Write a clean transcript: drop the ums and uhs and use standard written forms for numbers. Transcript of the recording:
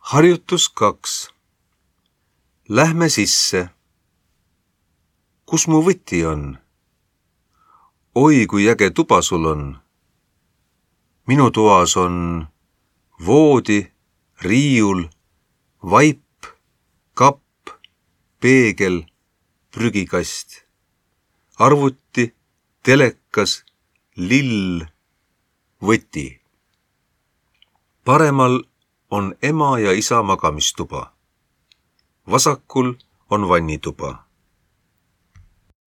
Harjutus 2. Lähme sisse. Kus mu võti on? Oi, kui äge tuba sul on. Minu toas on voodi, riiul, vaip, kapp, peegel, prügikast, arvuti, telekas, lill, võti. Paremal on ema ja isa magamistuba. Vasakul on vannituba.